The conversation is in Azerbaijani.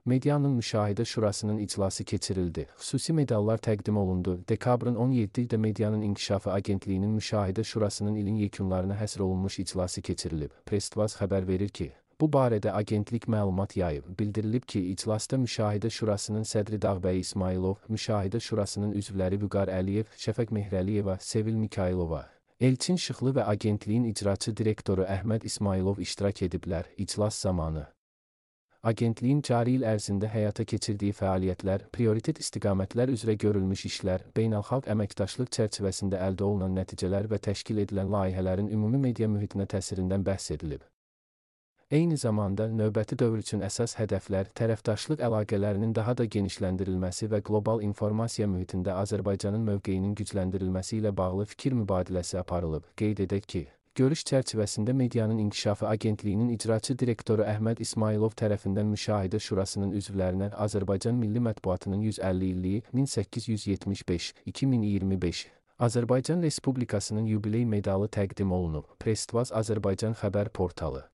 Medianın Müşahidə Şurasının iclası keçirildi. Xüsusi medallar təqdim olundu. Dekabrın 17-də Medianın İnkişafı Agentliyinin Müşahidə Şurasının ilin yekunlarına həsr olunmuş iclası keçirilib. Press-Tvaz xəbər verir ki, bu barədə agentlik məlumat yayıb. Bildirilib ki, iclasda Müşahidə Şurasının sədri Dağbəy İsmailov, Müşahidə Şurasının üzvləri Vüqar Əliyev, Şəfəq Mehrəliyeva, Sevil Mikailova, Elçin Şıxlı və agentliyin icraçı direktoru Əhməd İsmailov iştirak ediblər. İclas zamanı agentliyin cari il ərzində həyata keçirdiyi fəaliyyətlər, prioritet istiqamətlər üzrə görülmüş işlər, beynəlxalq əməkdaşlıq çərçivəsində əldə olunan nəticələr və təşkil edilən layihələrin ümumi media mühitinə təsirindən bəhs edilib. Eyni zamanda, növbəti dövr üçün əsas hədəflər, tərəfdaşlıq əlaqələrinin daha da genişləndirilməsi və qlobal informasiya mühitində Azərbaycanın mövqeyinin gücləndirilməsi ilə bağlı fikir mübadiləsi aparılıb. Qeyd edək ki, görüş çərçivəsində Medianın İnkişafı Agentliyinin icraçı direktoru Əhməd İsmailov tərəfindən Müşahidə Şurasının üzvlərinə Azərbaycan Milli Mətbuatının 150 illiyi 1875-2025 Azərbaycan Respublikasının yubiley medalı təqdim olunub. Press-Tvaz Azərbaycan xəbər portalı.